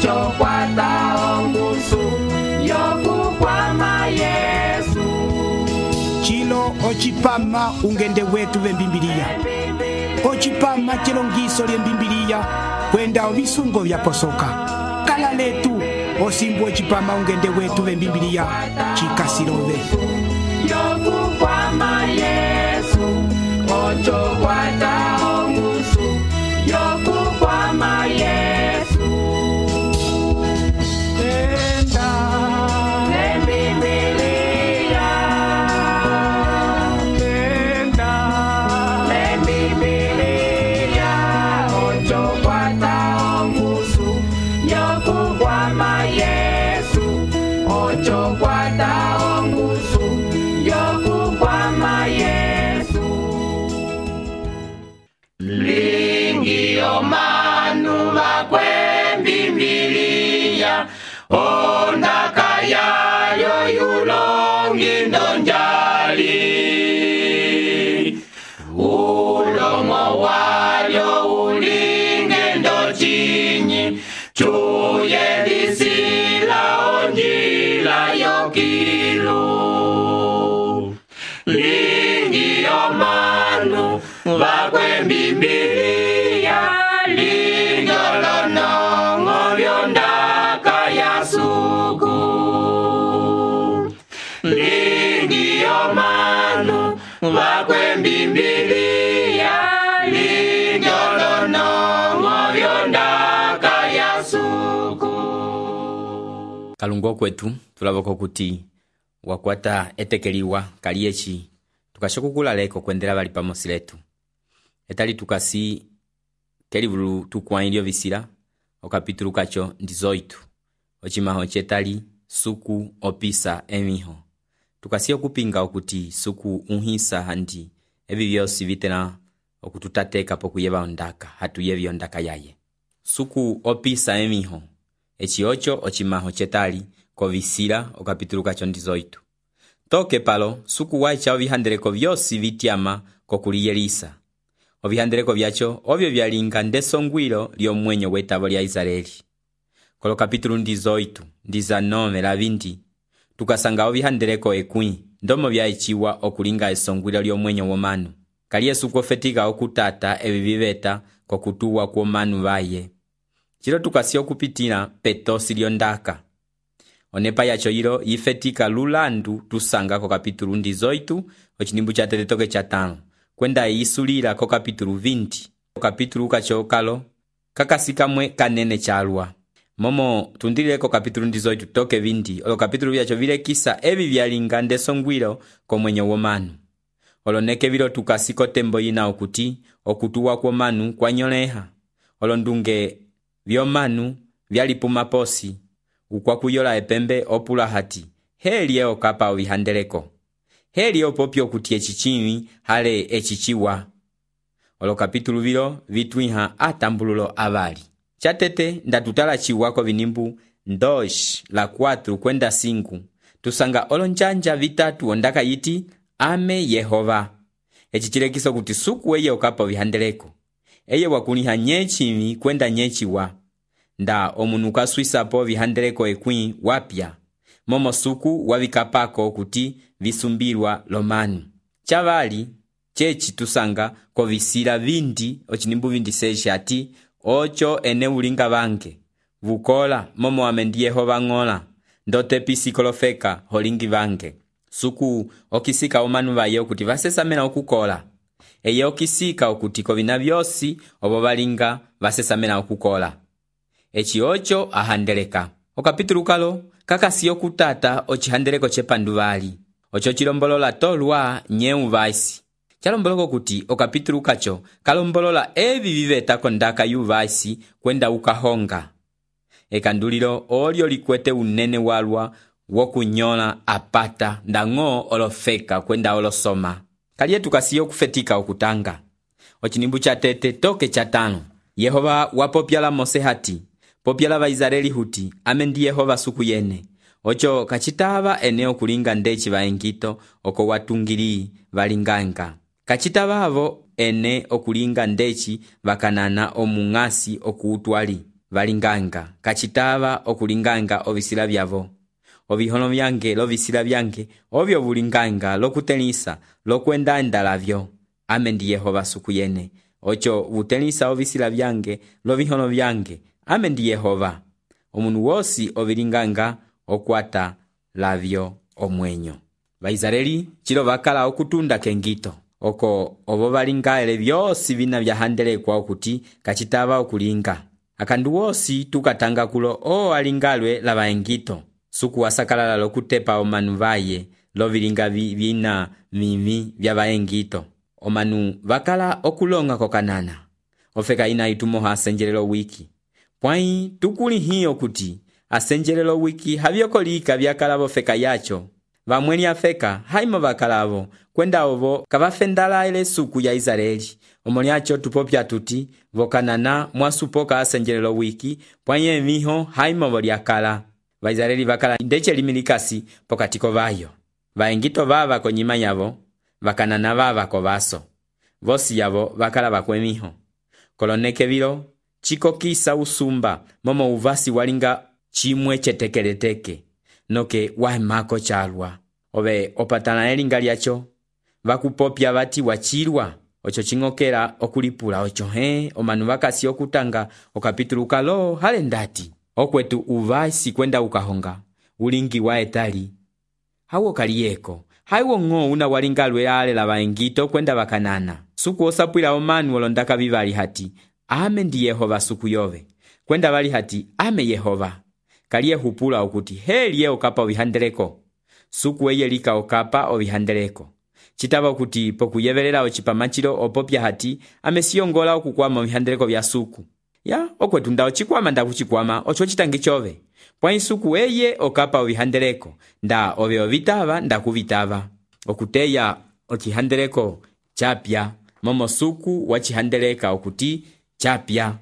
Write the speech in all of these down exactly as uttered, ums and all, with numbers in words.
ocho kwata ongusu yokukwama Yesu. Chilo ochipama ungende wetu vembimbiliya. Ochipama chilongiso lyembimbiliya kwenda ovisungo vyaposoka. Kala letu osimbu ochipama ungende wetu vembimbiliya chikasilove. Yokukwama Yesu, ocho kwata ongusu yokukwama Yesu. Tenda lembimbiliya, tenda lembimbiliya, ocho kwata ongusu yokukwama Yesu, ocho kwata ongusu yokukwama Yesu. Lingi omanu bakwembimbiliya, ondaka yayo yulongi ndonjali. Ulomo walyo ulinge ndochinyi, chuye disila onjila yokilu. Lingi omanu bakwembimbiliya, lingolonongo byondaka yasuku. Lingi omanu bakwembimbiliya, lingolonongo byondaka yasuku. Kalungo kwetu tulaboko kuti wakwata etekeliwa kaliechi tukashokukula leko kwendela bali pamosi letu. Etali tukasi kelivulu tukuwailio visila okapitulu kacho ndizoitu ochimaho chetali suku opisa emiho. Tukasi okupinga okuti suku unhisa handi evi vyosi vitena okututateka pokuyeba ondaka hatuyevi ondaka yaye. Suku opisa emiho echi ocho ochimaho chetali kovisila okapitulu kacho ndizoitu. Toke palo suku waicha ovihandeleko vyosi vitiama kokuliyelisa. Ovihandeleko vyacho ovyo vyalinga ndesongwilo lyomwenyo wetavo lya Israeli. Kolo kapitulu ndizoitu ndiza nome la vindi tukasanga ovihandeleko ekwi ndomo vyaichiwa okulinga esongwilo lyomwenyo womanu. Kaliye suku ofetika okutata evi viveta kokutuwa kwomanu vaye. Chilo tukasi okupitila petosi lyondaka. Onepa yacho yilo yifetika lulandu tusanga ko kapitulu ndizoitu ochinimbu cha teletoke cha tano. Kwenda yisulila ko kapitulu vindi. Ko kapitulu kacho kalo kakasikamwe kanene chalwa. Momo tundile ko kapitulu ndizoitu toke vindi. Olo kapitulu vyacho vile kisa evi vyalinga ndesongwilo ko mwenye womanu. Olo neke vilo tukasiko tembo yina okuti okutuwa kwa manu kwa nyoleha. Olo ndunge vyomanu vyalipuma posi. Ukwa kuyola epembe opula hati. Heli eo kapa ovihandeleko. Heli opopyo kuti echichini hale echichiwa. Olo kapitulu vilo vitwiha atambululo avali. Chatete ndatutala chiwako vinimbu ndosh la kwatru kwenda singu. Tusanga olo njanja vitatu ondaka yiti ame Yehova. Echichilekiso kuti suku eye okapa ovihandeleko. Eye wakuniha nyechimi kwenda nyechiwa. Nda omunuka swisa po vihandeleko ekwi wapya. Momo suku wavikapako kuti visumbilwa lomanu. Chavali, chechi tusanga kovisila vindi, ochinimbu vindi seshi ati, ocho ene ulinga vange. Vukola, momo amendi Yehova ngola, ndote pisikolofeka holingi vange. Suku okisika omanu vaye okuti vasesamena okukola. Eye okisika okuti kovina vyosi obo valinga vasesamena okukola. Echi ocho ahandeleka. Okapitulu kalo kakasi okutata ochihandeleko chepanduvali. Ocho chilombolola tolwa nyeu vaisi. Chalomboloko kuti okapitulu kacho kalombolola evi viveta kondaka yu vaisi kwenda ukahonga. Ekandulilo olio likwete unene walwa wokunyola apata ndango olofeka kwenda olosoma. Kaliye tukasiyo kufetika okutanga. Ochinimbu cha tete toke cha tano. Yehova wapopyala Mose hati. Popyala va Israeli huti, amendi Yehova suku yene. Ocho kachitava eneo kulinga ndechi vaengito oko watungili valinganga. Kachitava avo ene okulinga ndechi vakanana omungasi okuutwali. valinganga kacitava okulinganga ovisila vyavo. Ovihono vyange lovisila vyange ovyo vulinganga lokutelisa lokwenda-enda lavyo. Ame ndi Yehova suku yene. Ocho vutelisa ovisila vyange lovihono vyange. Ame ndi Yehova. Omunu wosi ovilinganga okwata lavyo omwenyo. Vaisraeli chilo vakala okutunda kengito. Oko ovo valingaele vyosi vina vyahandelekwa okuti kacitava okulinga. Akandu wosi tukatanga kulo o alingalwe lava engito. Suku wasakalala lokutepa omanu vaye lovilinga vina mimi vya vaengito. Omanu vakala okulonga kokanana. Ofeka ina itumoha asenjelelo wiki. Pwai tukuli hiyo kuti asenjelelo wiki havyokolika vyakalavo feka yacho. Vamweli afeka haimo vakalavo kwenda ovo kavafendala ile suku ya Israeli. Omoliacho tupopya tuti vokanana mwasupoka asenjelelo wiki pwai emiho haimo voliakala. Vaisraeli vakala ndeche limilikasi pokatiko vayo. Vaengito vava konyima yavo, vakanana vava kovaso. Vosi yavo vakala vakwemiho. Koloneke vilo, chiko kisa usumba, momo uvasi walinga chimwe chetekeleteke, noke wahemako chalwa. Ove opatana elinga liacho, vakupopya vati wachilwa, ocho chingokela okulipula ocho he, omanu vakasi okutanga, okapitulu kalo halendati. Okwetu uvasi kwenda ukahonga, ulingi wa etali. Hawo kaliyeko, haiwo ng'o una walingalwe ale la vaengito kwenda vakanana. Suku osapwila omanu olondaka vivali hati, ame ndi Yehova suku yove. Kwenda vali hati, ame Yehova. Kaliye hupula okuti, heliye okapa ovihandeleko. Suku eye lika okapa ovihandeleko. Chitava okuti pokuyevelela ochipamachilo opopya hati, ame siyongola okukwama ovihandeleko vya suku. Ya, okwetu nda ochikwama nda kuchikwama, ocho chitangi chove. Pwa isuku eye okapa ovihandeleko, nda ove ovitava nda kuvitava. Okuteya ochihandeleko chapya, momo suku wachihandeleka okuti chapya.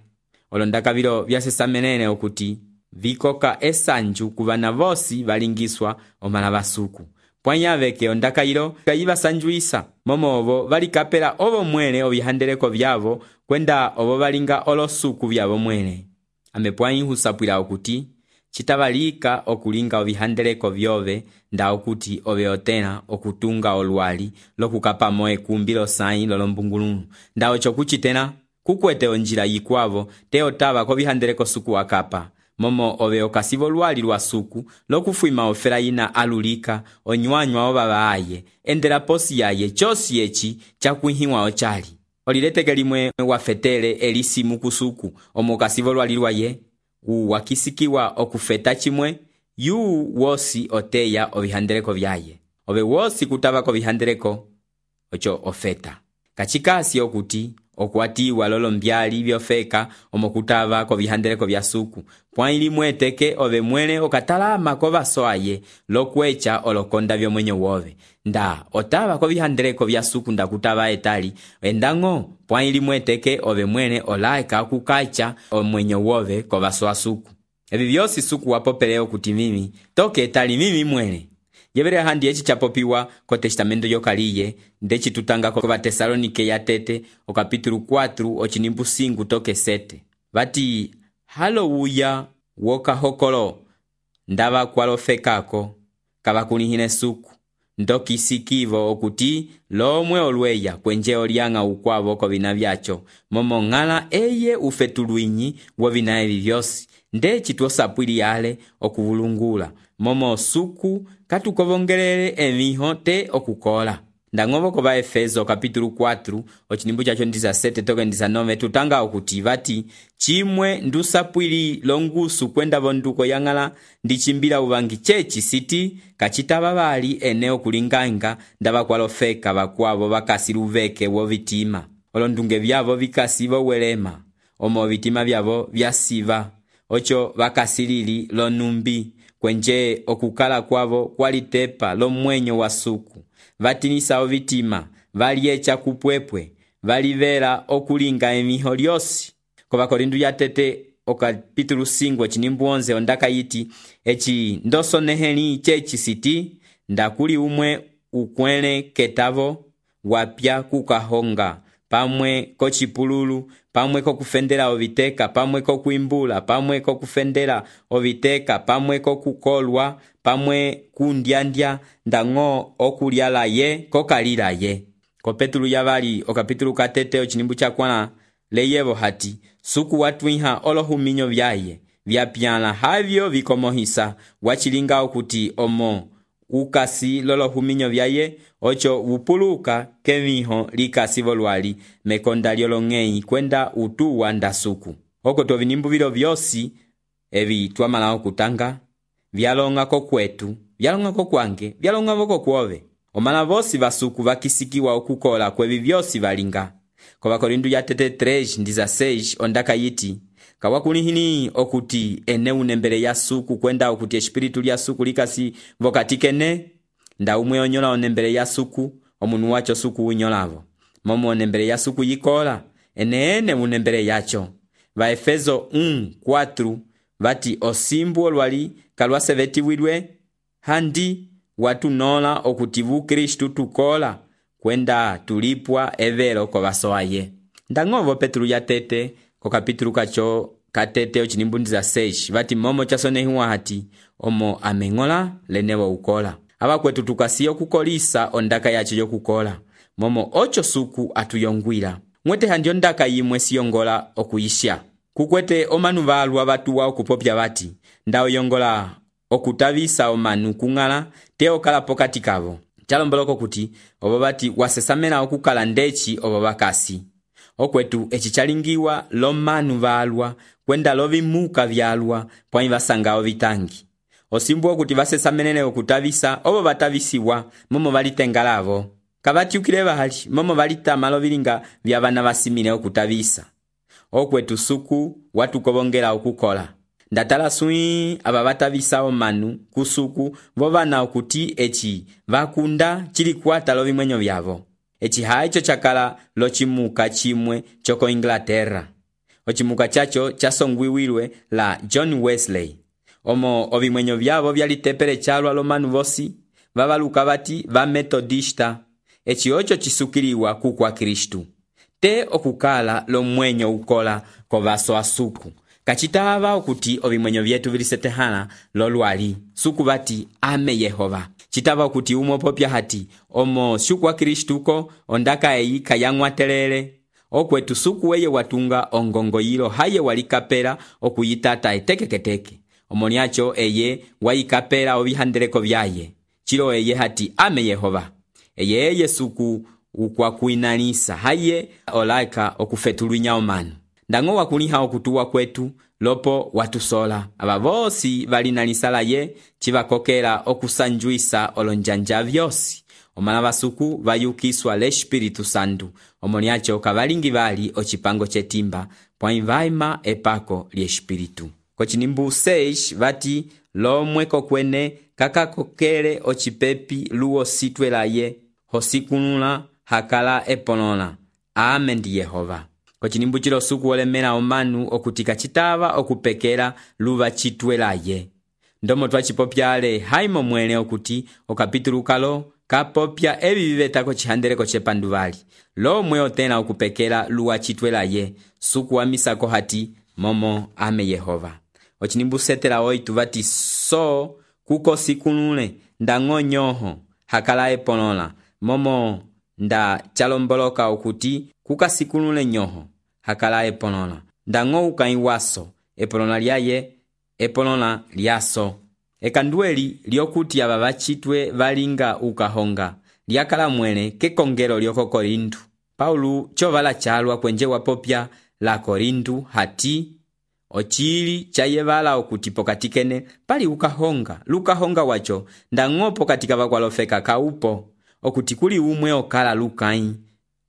Olondaka vilo vyasesamenene okuti, vikoka esanju kuvana vosi valingiswa omalava suku. Pwa yaveke ondaka ilo kayiva sanjuisa, momo ovo valikapela ovo mwene ovihandeleko vyavo kwenda ovo valinga olosuku vyavo mwene. Ame pwa husapwila okuti, chitavalika okulinga ovihandeleko vyove nda okuti ove otena okutunga olwali lokukapa moe kumbilo sayi lolombungulunu. Nda ocho kuchitena kukwete onjila yikwavo te otava kovihandeleko suku wakapa. Momo ove okasivo lwali lwa suku lokufuima ofera ina alulika onywanywa ovava aye endela posi yaye chosi echi chakuhiwa ochali. Olilete limwe wafetele elisimu kusuku omo okasivo lwali lwaye uwakisikiwa okufeta chimwe yu wosi oteya ovihandeleko vyaye. Ove wosi kutava kovihandeleko ocho ofeta. Kachikasi okuti okwatiwa lolo mbyali vyofeka omokutava kovihandeleko vya suku. Pwa ili mweteke ove mwene okatalama kovaso aye lokwecha olokonda vyo mwenyo wove. Nda otava kovihandeleko vya suku nda kutava etali. Endango pwa ili mweteke ove mwene olaika kukacha omwenyo wove kovaso asuku. Evi vyosi suku wapopeleo kuti mimi toke etali mimi mwene. Yevere handi echi chapopiwa ko testamento yokaliye ndechi tutanga ko Vatesalonike ya tete o kapitulu kwatru ochinimbu singu toke sete. Vati hallelujah woka hokolo ndava kwalofekako kavakunihine suku ndoki sikivo okuti lomwe olweya kwenje olianga ukwavo ko vina vyacho momo ngala eye ufetuluinyi wo vina evi vyosi ndechi tuosapwili yale okuvulungula momo suku katukovongelele emiho te okukola. Ndangovo kova Efeso kapitulu kwatru ochinimbu chacho ndiza sete toke ndiza nove tutanga okuti vati chimwe ndusapwili longusu kwenda vonduko yangala ndichimbila uvangi chechi siti kachita vali eneo kulinganga ndava kwalofeka vakwavo vakasiruveke wo vitima. Olondunge vyavo vikasivo welema omo vitima vyavo vyasiva ocho vakasirili lonumbi kwenje okukala kwavo kwalitepa lo mwenyo wa suku. Vatinisa ovitima, valiecha kupwepwe, valivera okulinga emiho lyosi. Kova Korindu ya tete okapitulu singo chinimbu onze ondaka yiti, echi ndoso neheli chechi siti, ndakuli umwe ukwele ketavo, wapya kukahonga, pamwe kocipululu, pamwe kokufendela oviteka, pamwe kokuimbula, pamwe kokufendela oviteka, pamwe kokukolwa, pamwe kundyandya, ndang'o okulyala ye kokalila ye. Ko Petulu yavali okapitulu katete ochinimbu chakwana leyevo hati suku watwiha olohuminyo vyaye vyapyala havyo vikomohisa wachilinga okuti omo ukasi lolohuminyo vyaye ocho upuluka keviho likasi volwali mekonda lyolong'ei kwenda utuwa nda suku. Oko tovinimbu vilo vyosi evi twamala okutanga vyalonga kokwetu, vyalonga kokwange, vyalonga voko kwove. Omala vosi vasuku vakisikiwa okukola kwevi vyosi valinga. Kwa Wakorintu ya tete tres ndiza seis ondaka yiti kawakulihini okuti ene unembele ya suku kwenda okuti espiritu lya suku likasi vokatikene nda umwe onyola onembele ya suku omunu wacho suku unyolavo momo onembele ya suku yikola ene ene unembele yacho. Va Efeso un cuatro vati osimbu olwali kalwase vetiwidwe handi watu nola okutivu Kristu tukola kwenda tulipwa evero ko vasoaye. Ndang'ovo Petulu ya tete ko kapitulu kacho katete ochinimbundiza seis vati momo chasonehiwa hati omo ameng'ola lenewo ukola. Aba kwetu tukasiyo kukolisa ondaka yacho yokukola momo ocho suku atuyongwila mwete handi ondaka yimwe siyongola okuyisha kukwete omanu valwa batuwa okupopya bati ndao yongola okutavisa omanu kung'ala te okala pokati kavo. Chalomboloko kuti obo bati wasesamela okukala ndechi obo bakasi. Okwetu echi chalingiwa lo manu valwa kwenda lovimuka vyalwa pwanyi basanga ovitangi. Osimbu okuti basesamelele okutavisa obo batavisiwa momo balitengalavo. Kabatiukile bahali momo balitama lovilinga vyabana basimile okutavisa. Okwetu suku watu kobongela okukola. Ndatala sui aba batavisa omanu kusuku vovana okuti echi vakunda chili kwata lovimwenyo vyavo. Echi haicho chakala lochimuka chimwe choko Inglaterra. Ochimuka chacho chasongwiwilwe la John Wesley. Omo ovimwenyo vyavo vyalitepele chalwa lomanu vosi vavaluka bati va metodista. Echi ocho chisukiliwa kukwa Kristu. Te okukala lomwenyo ukola kovaso asuku. Kachitava okuti ovimwenyo vyetu vilisetehana lolwali suku bati ame Yehova. Chitava okuti umo popya hati omo shukwa Kristuko ondaka eyi kayang'watelele. Okwetu suku weye watunga ongongo yilo haye walikapela okuyitata etekeketeke. Omoniacho eye wayikapela ovihandeleko vyaye. Chilo eye hati ame Yehova. Eye eye suku ukwa kuinanisa haye olaika okufetulunya omanu. Ndang'o wakuliha okutuwa kwetu lopo watusola. Aba vosi balinanisala ye chivakokela okusanjuisa olonjanja vyosi. Omala basuku bayukiswa le Espiritu Santu. Omoniacho kabalingi bali ochipango chetimba pwanyi vaima epako li Espiritu. Kochinimbu seis vati lomweko kwene kakakokele ochipepi luo sitwela ye hosikunula hakala eponola. Amen di Yehova. Kochinimbu chilo suku olemela omanu okutika chitava okupekela luva chitwela ye. Ndomo twachipopyale haimo mwene okuti okapitulu kalo kapopya ebi bibetako chihandeleko chepanduvali. Lo mwe otena okupekela luwa chitwela ye suku wa misako hati momo ame Yehova. Ochinimbu setela oitu vati so kuko sikunule ndang'o nyoho hakala eponola momo nda chalomboloka okuti kuka sikunule nyoho hakala eponola ndang'o ukaiwaso eponola lyaye eponola lyaso. Ekandueli lyokuti aba bachitwe valinga ukahonga lyakala mwene kekongelo lyoko Korintu. Paulu chovala chalwa kwenje wapopya la Korintu hati ochili chayevala okuti pokatikene pali ukahonga lukahonga wacho ndang'o pokatika vakwalofeka kaupo okuti kuli umwe okala lukai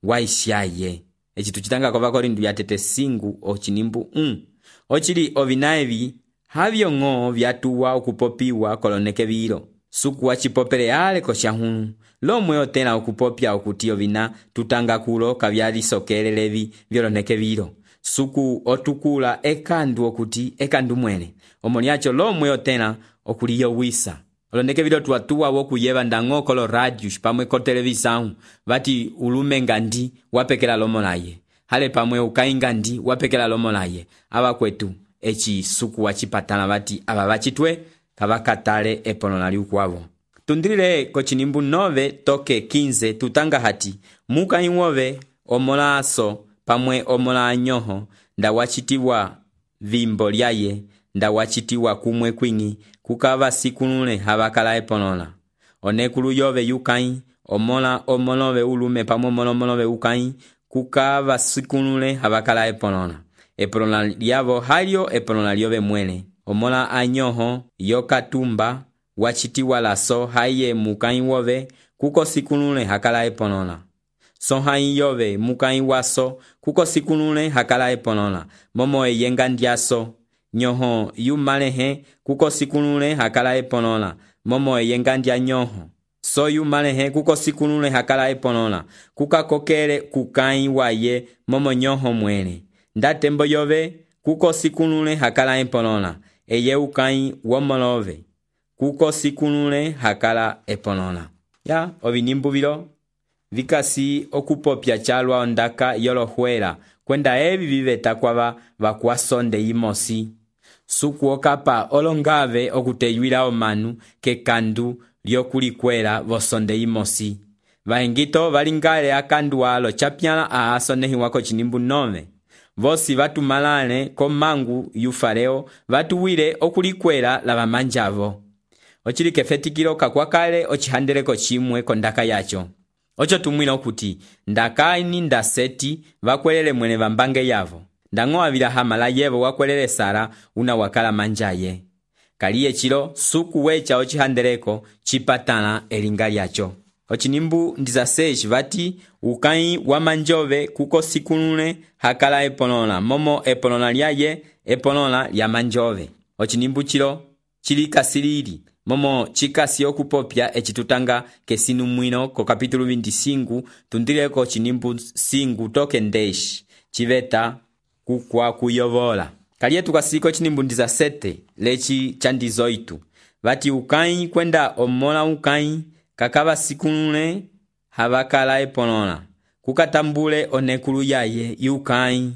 waishaye. Echi tuchitanga kwa Vakorintu ya tete singu ochinimbu un. Ochili ovinaevi havyo ng'o vyatuwa okupopiwa koloneke vilo. Suku wachipopele yale koshahunu. Lomwe otena okupopya okuti ovina tutanga kulo kavyalisokelelevi vyoloneke vilo. Suku otukula ekandu okuti ekandu mwene. Omoniacho lomwe otena okuliyo wisa. olondeke vilo tuatuwa wokuyeva ndango kolo radios pamwe ko televisão vati ulume ngandi wapekela lomo laye hale pamwe ukai ngandi wapekela lomo laye ava kwetu eci suku wachipatala vati ava vachitwe kavakatale eponolali ukwavo. Tundrile kochinimbu nove toke quinze tutanga hati muka inwove omola aso pamwe omola anyoho nda wachitiwa vimbo lyaye nda wachitiwa kumwe kwingi kukava sikunule havakala eponola onekulu yove yukai omola omolove ulume pamwe omolomolove ukai kukava sikunule havakala eponola eponola lyavo halyo eponola lyove mwele omola anyoho yokatumba wachitiwa laso haye mukai wove kuko sikunule hakala eponola so hai yove mukai waso kuko sikunule hakala eponola momo eyenga ndiaso nyoho yumalehe kuko sikunule hakala eponola momo eyenga ndia nyoho so yumalehe kuko sikunule hakala eponola kuka kokele kukai waye momo nyoho mwele ndatembo yove kuko sikunule hakala eponola eye ukai womolove kuko sikunule hakala eponola ya ovinimbu vilo vikasi okupopya chalwa ondaka yolohuela kwenda evi viveta kwava vakuasonde imosi suku okapa olongave okuteyuila omanu kekandu lyokulikwela vosonde imosi vaengito valingale akandu alo chapyala aasonehiwa kochinimbu nove vosi vatumalale komangu yufareo vatuwile okulikwela lavamanjavo ochili kefetikilo kakwakale ochihandeleko chimwe kondaka yacho ocho tumwila okuti ndakaini ndaseti vakwelele mwene vambange yavo ndango avila hamala yevo wakwelele Sara una wakala manjaye kaliye chilo suku wecha ochihandeleko chipatala elinga lyacho ochinimbu ndizaseji vati ukai wamanjove kuko sikunule hakala eponola momo eponola lyaye eponola lya manjove ochinimbu chilo chili kasilili momo chikasi okupopya echitutanga kesinu mwino ko kapitulu veinticinco tundileko chinimbu singu toke ndeshi chiveta kukwa kuyovola kaliye tukasiko chinimbu ndizasete lechi chandizoitu vati ukai kwenda omola ukai kakava sikunule havakala eponola kukatambule onekulu yaye yukai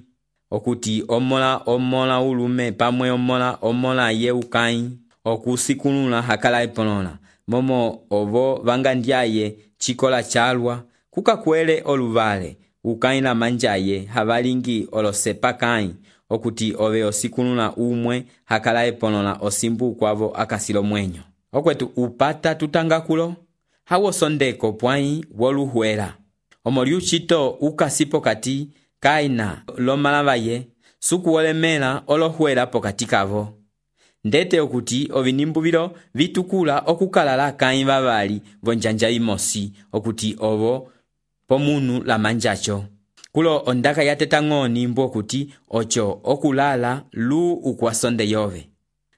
okuti omola omola ulume pamwe omola omola ye ukai okusikunula hakala eponola momo ovo vangandiaye chikola chalwa kukakwele oluvale ukai la manjaye havalingi olosepakai okuti ove osikunula umwe hakala eponola osimbu kwavo akasilo mwenyo okwetu upata tutangakulo hawo sondeko pwai woluhuela omoliuchito ukasipo kati kaina lomalavaye suku wolemela olohuela pokati kavo ndete okuti ovinimbu vilo vitukula okukalala kai vavali vonjanja imosi okuti ovo pomunu la manjacho kulo ondaka yateta ng'oni mbu okuti ocho okulala lu ukwasonde yove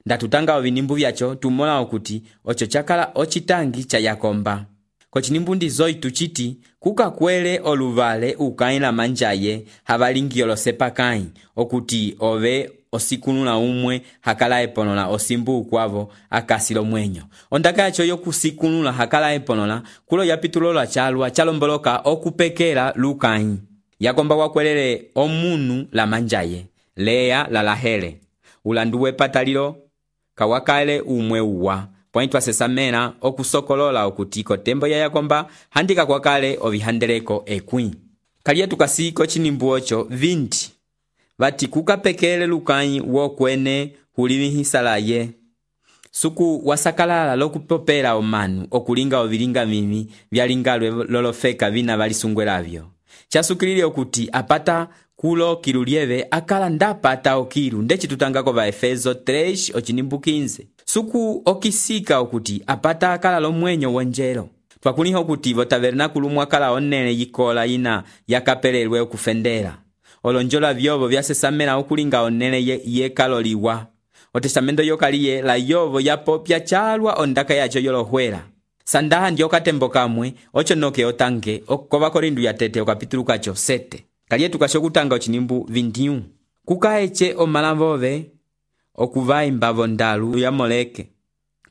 ndatutanga ovinimbu vyacho tumola okuti ocho chakala ochitangi cha yakomba kochinimbu ndizoitu chiti kukakwele oluvale ukai la manjaye havalingi olosepakai okuti ove osikunula umwe hakala eponola osimbu kwavo akasilo mwenyo ondaka yacho yokusikunula hakala eponola kulo yapitulola chalwa chalomboloka okupekela lukai yakomba wakwelele omunu la manjaye Lea la lahele ulanduwe patalilo kawakale umwe uwa pointwa sesamena okusokolola okutiko tembo ya yakomba handika kwakale ovihandeleko ekwi kaliye tukasiko chinimbu ocho vinti vati kukapekele lukai wokwene hulivihisalaye suku wasakalala lokupopela omanu okulinga ovilinga mimi vyalingalwe lolofeka vina valisungwelavyo chasukilile okuti apata kulo kilulieve akala ndapata okilu ndechitutangako va Efeso tres ochinimbu quinze suku okisika okuti apata akala lomwenyo wonjelo twakuliho okuti vo tabernakulu mwakala onene yikola ina yakapelelwe okufendela olonjola vyovo vyasesamela okulinga onene ye, ye kaloliwa otestamento yokaliye la yovo yapopya chalwa ondaka yacho yolohuela sandaha ndiokatembo kamwe ocho noke otange okova korindu ya tete okapitulu kacho sete kaliye tukasho kutanga ochinimbu veintiuno kukaeche omalavove okuvaimba vondalu ya moleke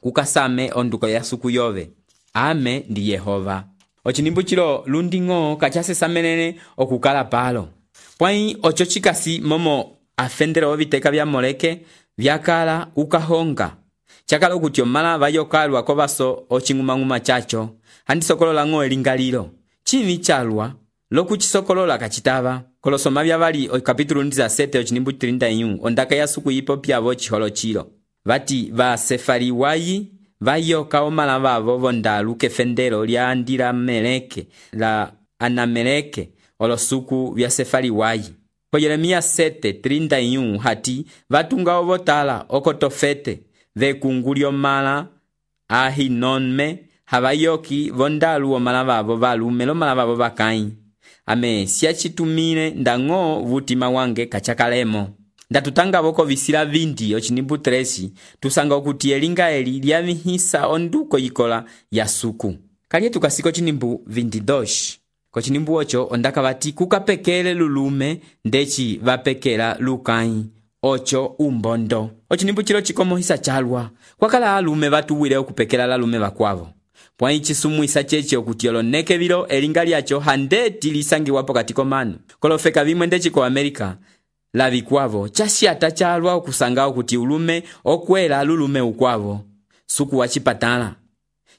kukasame onduko ya suku yove. Ame ndi Yehova. Ochinimbu chilo lunding'o kachasesamelele okukala palo. Pwai ocho chikasi momo afendela oviteka vya Moleke vyakala ukahonga. Chakala okuti omala vayokalwa kovaso oching'umang'uma chacho. Handisokolola ng'o elingalilo. Chimi chalwa lokuchisokolola kachitava. Kolosoma vyavali o kapitulu ndiza sete ochinimbu tilinda yu. Ondaka ya suku yipo pyavo chiholo chilo. Vati va Sefariwayi vayoka omala vavo vondalu kefendelo lya andira Meleke la Anameleke olosuku vya Sefariwayi. Ko Yeremia sete tilinda yu hati vatunga ovotala okotofete vekunguli omala ahinonme havayoki vondalu omala vavo valume lomala vavo vakai. Ame siachitumile ndang'o vutima wange kachakalemo. Ndatutanga voko visila vindi ochinimbu tresi tusanga okuti elinga eli lyavihisa onduko yikola ya suku. Kalye tukasiko chinimbu vindi dosh. Kochinimbu ocho ondaka vati kukapekele lulume ndechi vapekela lukai. Ocho umbondo. Ochinimbu chilo chikomohisa chalwa. Kwakala alume vatuwile okupekela lalume vakwavo. Pwai chisumuisa cheche okuti oloneke vilo elinga lyacho handeti lisangi wapo katiko manu. Kolofeka vimwe ndechi ko Amerika la vikwavo chashiata chalwa okusanga okuti ulume okwela lulume ukwavo. Suku wachipatala.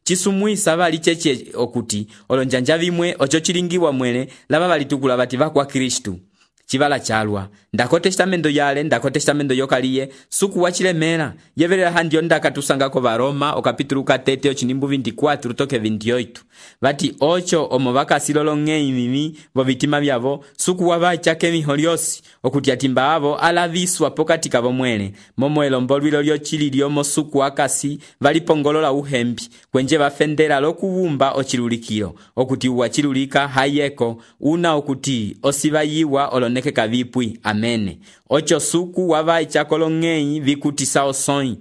Chisumuisa vali cheche okuti olonjanja vimwe ocho chilingiwa mwele lava valitukula vati vakwa Kristu. Chivala chalwa. Ndako testamento yale, ndako testamento yokaliye, suku wachilemela. Yevelela handi ondaka tusanga ko Varoma, o kapitulu katete, ochinimbu veinticuatro, toke veintiocho. Vati ocho omo vaka silolonge mimi, vo vitima vyavo, suku wavacha kemihoriosi, okuti atimba avo, alaviswa pokatika vomwele. Momo elombolwilo lyo chili lyomo suku wakasi, valipongolola uhembi, kwenje vafendela lokuvumba ochilulikilo, okuti uwachilulika hayeko, una okuti osivayiwa olone neke kavipwi. Amene. Ocho suku wavai chakolongei vikutisa osoi.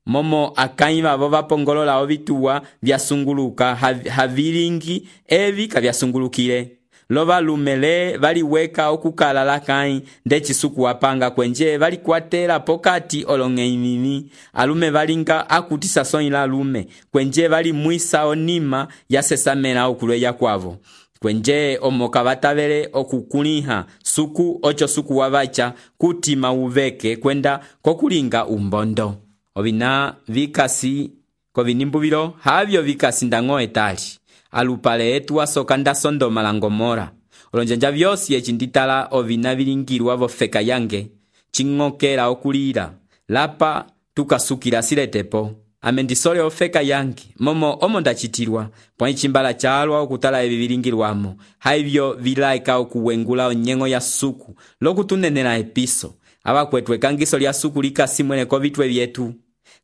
Momo akai vavo vapongolola ovituwa vyasunguluka havilingi evi kavyasungulukile. Lova lumele valiweka okukala lakai ndechi suku wapanga kwenje valikwatela pokati olongei mimi. Alume valinga akutisa soi la lume kwenje valimwisa onima yasesamela okulwe ya kwavo. Kwenje omoka vatavele okukuliha suku ocho suku wavacha kutima uveke kwenda kokulinga umbondo. Ovina vikasi kovinimbu vilo havyo vikasi ndang'o etali. Alupale etu wasokanda Sodoma la Gomora. Olonjanja vyosi echinditala ovina vilingirwa vofeka yange. Chingokela okulira. Lapa tukasukila siletepo. Amendisole ofeka yangi, momo omo ndachitirwa, pwani chimbala chalwa okutala evi vilingirwamo, haivyo vilaika okuwengula onyengo ya suku, loku tunenela episo, aba kwetwe kangiso lya suku lika simwene kovitwe vyetu.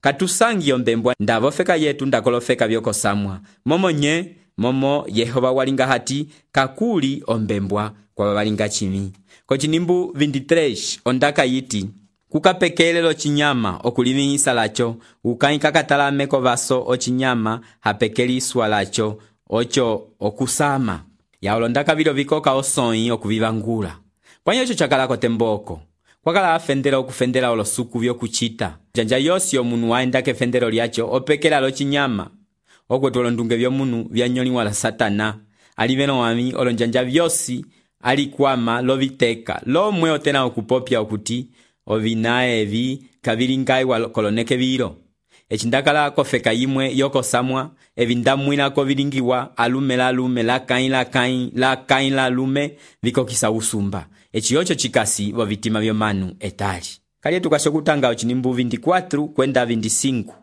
Katusangi yombembwa ndavofeka yetu ndakolofeka vyoko samwa, momo nye, momo Yehova walinga hati, kakuli ombembwa kwa walinga chimi. Kochinimbu veintitrés ondaka yiti, kukapekelelo chinyama okulivihisa lacho, ukai kakatalame kovaso ochinyama hapekeliswa lacho, ocho okusama. Ya olondaka vilo vikoka osoi okuvivangula. Pwanyo ocho chakalako temboko. Kwakala afendela okufendela olosuku vyo kuchita. Janja yosi omunu waenda kefendelo liacho opekela lo chinyama. Okwetu olondunge vyo munu vyanyoli wala satana. Aliveno wami olonjanja vyosi alikwama loviteka. Lo mwe otena okupopia okuti ovina evi kavilingai koloneke vilo. Echindakala kofeka yimwe yoko samwa, evindamwina kovilingiwa alume la lume la kain la kain la kain la lume viko kisa usumba. Echiocho chikasi vo vitima vyo manu etali. Kali tukashokutanga ochinimbu veinticuatro kwenda veinticinco.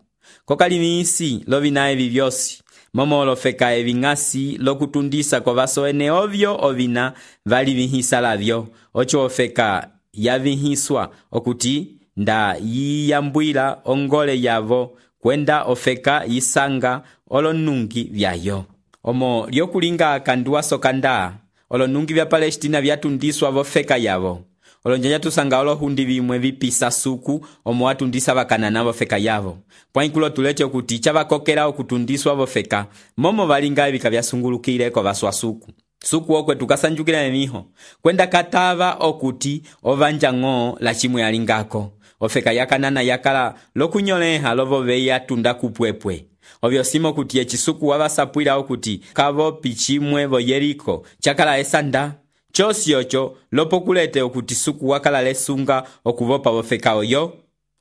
Kokali miisi lovina evi vyosi. Momo olofeka evingasi lokutundisa kovaso ene ovyo ovina vali vihisa lavyo. Ocho ofeka yavihiswa okuti nda yiyambwila ongole yavo kwenda ofeka yisanga olonungi vyayo. Omo lyokulinga kanduwa sokanda olonungi vya Palestina vyatundiswa vofeka yavo. Olonjanja tusanga olohundi vimwe vipisa suku omo watundisa vakanana vofeka yavo. Pwainkulo tuleche okuti chavakokela okutundiswa vofeka momo valinga evika vyasungulukile ko vaswa suku. suku okwe tukasanjukila emiho kwenda katava okuti ovanja ng'o la chimwe alingako ofeka yakanana yakala lokunyoleha lovove yatunda kupwepwe ovyo simo kuti echisuku wavasapwila okuti kavo pichimwe vo Yeriko chakala esanda chosi ocho lopokulete okuti suku wakala lesunga okuvopa vofeka oyo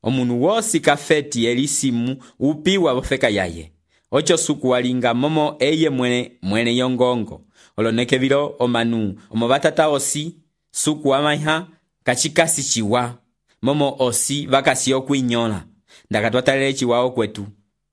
omunu wosi kafeti elisimu upiwa vofeka yaye ocho suku walinga momo eye mwene mwene yongongo oloneke vilo omanu omo batata osi suku wamaiha kachikasi chiwa momo osi vakasi okuinyola ndakatwatalele chiwa okwetu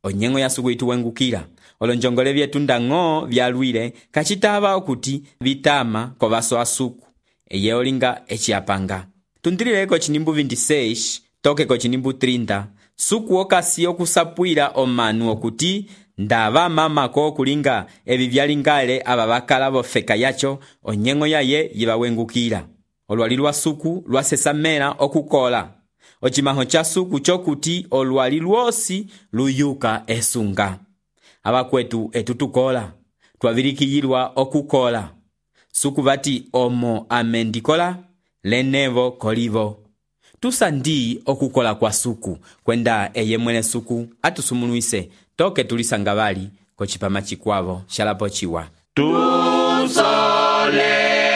onyengo ya suku ituwengukila olonjongole vyetu ndang'o vyalwile kachitava okuti vitama kovaso asuku eye olinga echiapanga tundilileko chinimbu veintiseis toke ko chinimbu trinta suku okasi okusapwila omanu okuti ndava mama ko kulinga evi vyalingale aba bakala bofeka yacho onyengo yaye yibawengukila olwali lwa suku lwasesamela okukola ochimaho cha suku chokuti olwali lwosi luyuka esunga abakwetu etutukola twavilikiyilwa okukola suku bati omo amendikola lenevo kolivo tusandi okukola kwa suku kwenda eye mwene suku atusumuluise toke tulisanga bali kochipama chikwavo shalapo chiwa tusole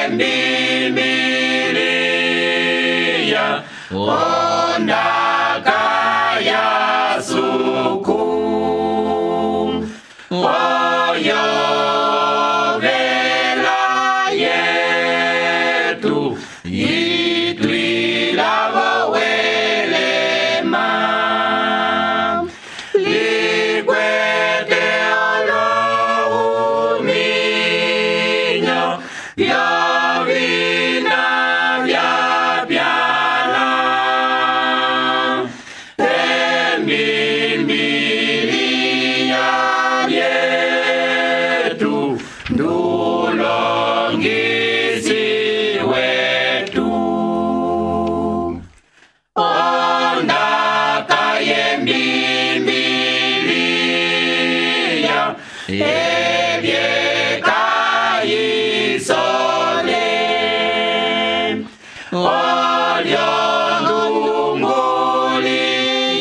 mbimbiliya ondaka ya suku oyo vela yetu itwila vowelema likwete olohuminyo vyovina vyapyana embimbiliya yetu ndulongisi wetu ondaka yembimbiliya ebyekayisole olyondunguli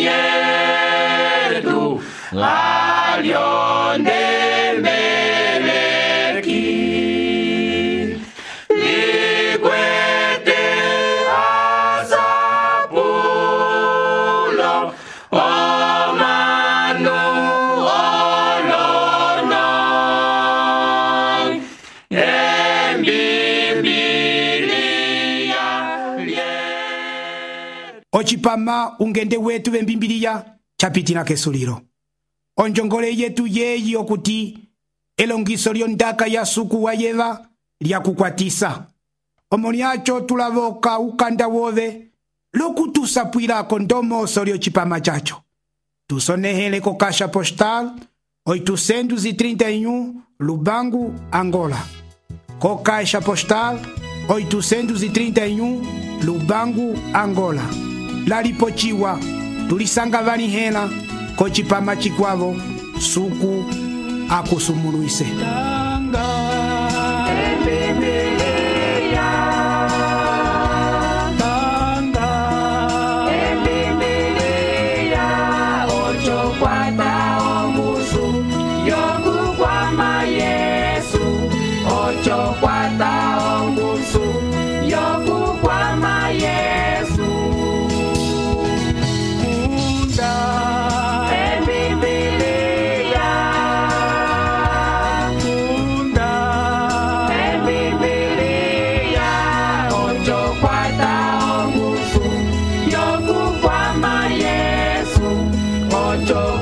yetu alyondembeleki likwete asapulo omanu olono embimbiliya ochipama ungende wetu vembimbiliya chapitila kesulilo onjongole yetu yeyi okuti elongiso lyondaka ya suku wayeva lyakukwatisa omo lyacho tulavoka ukanda wove lokutusapwilako ndomoso lyochipama chacho tusonehele ko kasha postal oitocentos e trinta e um Lubango, Angola. Co caixa postal oitocentos e trinta e um Lubango, Angola. Laripochiwa tulisanga vanihela kochipama chikwavo suku akusumuluise. Yo